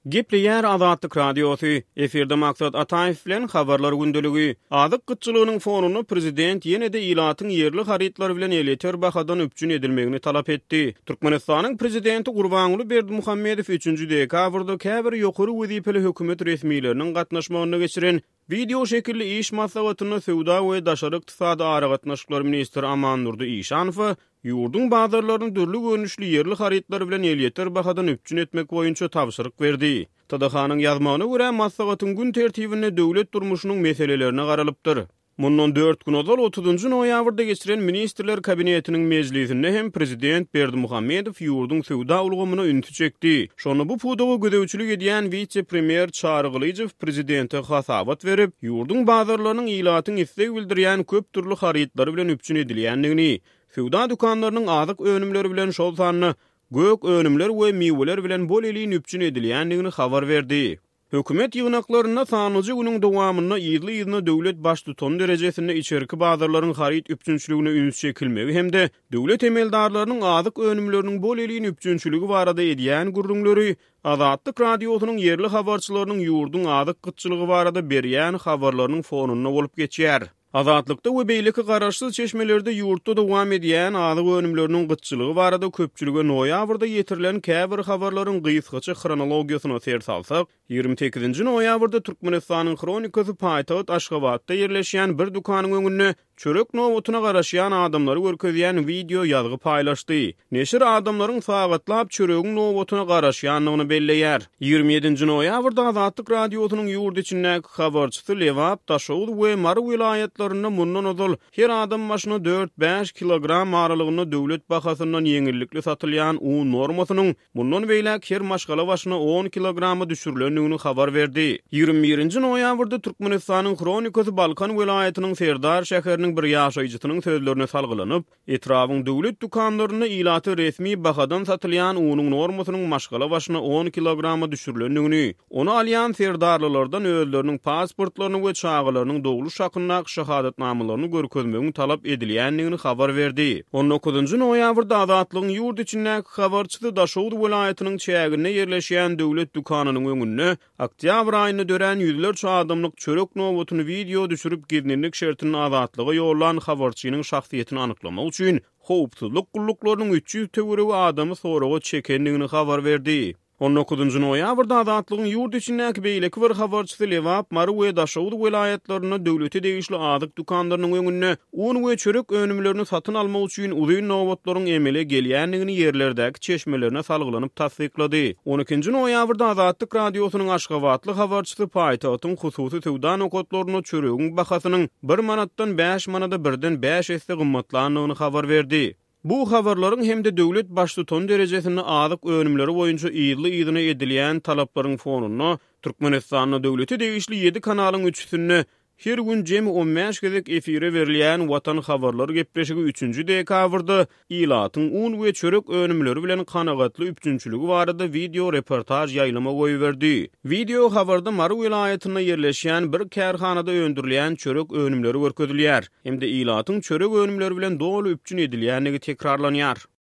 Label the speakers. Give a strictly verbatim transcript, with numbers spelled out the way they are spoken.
Speaker 1: Gepleýär Azatlyk Radiosy, efirde Maksat Ataýew bilen Habarlar gündeligi. Azyk gytçylygynyň fonunda prezident ýene-de ilatyň ýerli harytlar bilen elýeter bahadan üpjün edilmegini talap etdi. Türkmenistanyň prezidenti Gurbanguly Berdimuhamedow üçünji dekabrda käbir ýokary wezipeli hökümet resmileriniň gatnaşmagynda geçiren wideo şekilli iş maslahatynda söwda we daşary ykdysady aragatnaşyklar ministri Amandurdy Işanowa ýurduň bazarlaryny dürli görnüşli ýerli harytlar bilen elýeter bahadan üpjün etmek boýunça tabşyryk berdi. T D H-nyň ýazmagyna görä, maslahatyň gün tertibinde döwlet durmuşynyň meselelerine garalypdyr. Mundan dört gün ozal otuzynjy noýabrda geçiren Ministrler Kabinetiniň mejlisinde hem prezident Berdimuhamedow ýurduň söwda ulgamyna ünsi çekdi. Şonda bu pudaga gözegçilik edýän wise-premýer Çary Gylyjow prezidente hasabat berip, ýurduň bazarlarynyň ilatyň isleg bildirýän köp dürli harytlary bilen üpjün edilýändigini, söwda dükanlarynyň azyk önümleri bilen, şol sanda gök önümler we miweler bilen bol elin üpjün edilýändigini habar berdi. Hökümet ýygnaklarynda sanlyja günüň dowamynda yzly-yzyna döwlet baştutany derejesinde içerki bazarlaryň haryt üpjünçiligine üns çekilmegi hem-de döwlet emeldarlarynyň azyk önümleriniň bol elin üpjünçiligi barada edýän gürrüňleri Azatlyk Radiosynyň ýerli habarçylarynyň ýurduň azyk gytçylygy barada berýän habarlarynyň fonunda bolup geçýär. Azatlykda we beýleki garaşsyz çeşmelerde ýurtda dowam edýän azyk önümleriniň gytçylygy barada köpçülige noýabrda ýetirilen käbir habarlaryň gysgaça hronologiýasyna ser salsak, ýigrimi sekizinji noýabrda Türkmenistanyň Hronikasy paýtagt Aşgabatda ýerleşýän bir dükanyň öňünde çörek nobatyna garaşýan adamlary görkezýän wideo ýazgy paýlaşdy. Neşir adamlaryň sagatlap çöregiň nobatyna garaşýandygyny belleýär. Ýigrimi ýedinji noýabrda Azatlyk Radiosynyň ýurt içindäki habarçysy Lebap, Daşoguz we Mary welaýatlarynda mundan ozal her adam başyna dört-bäş kilogram aralygynda döwlet bahasyndan ýeňillikli satylýan un normasynyň mundan beýläk her maşgala başyna on kilograma düşürilendigini habar berdi. Ýigrimi birinji noýabrda Türkmenistanyň Hronikasy Balkan welaýatynyň Serdar şäheriniň bir ýaşaýjysynyň sözlerine salgylanyp, etrabyň döwlet dükanlarynda ilata resmi bahadan satylýan unuň normasynyň maşgala başyna on kilograma düşürilendigini, ony alýan serdarlylardan özleriniň pasportlaryny we çagalarynyň dogluş hakyndaky şahadatnamalaryny görkezmegiň talap edilýändigini habar berdi. On dokuzynjy noýabrda Azatlygyň ýurt içindäki habarçysy Daşoguz welaýatynyň çäginde ýerleşýän döwlet dükanynyň öňünde oktýabr aýynda dörän ýüzlerçe adamlyk çörek nobatyny wideo düşürip gizlinlik şertinde Azatlyga ýollan habarçynyň şahsyýetini anyklamak üçin howpsuzlyk gulluklarynyň üç ýüz töweregi adamy soraga çekendigini habar berdi. On dokuzynjy noýabrda Azatlygyň ýurt içindäki beýleki bir habarçysy Lebap, Mary we Daşoguz welaýatlarynda döwlete degişli azyk dükanlarynyň öňünde un we çörek önümlerini satyn almak üçin uzyn nobatlaryň emele gelýändigini ýerlerdäki çeşmelerine salgylanyp tassyklady. On ikinji noýabrda Azatlyk Radiosynyň aşgabatly habarçysy paýtagtyň hususy söwda nokatlarynda çöregiň bahasynyň bir manatdan bäş manada birden bäş esse gymmatlandygyny habar berdi. Bu habarlaryň hem-de döwlet baştutany derejesinde azyk önümleri boýunça yzly-yzyna edilýän talaplaryň fonunda Türkmenistanda döwlete degişli ýedi kanalyň üçüsinde her gün jemi on bäş gezek efire berilýän Watan habarlar gepleşigi üçünji dekabrda ilatyň un we çörek önümleri bilen kanagatly üpjünçiligi barada wideo reportaž ýaýlyma goýberdi. Wideo habarda Mary welaýatynda ýerleşýän bir kärhanada öndürilýän çörek önümleri görkezilýär hem-de ilatyň çörek önümleri bilen doly üpjün edilýändigi tekrarlanýar.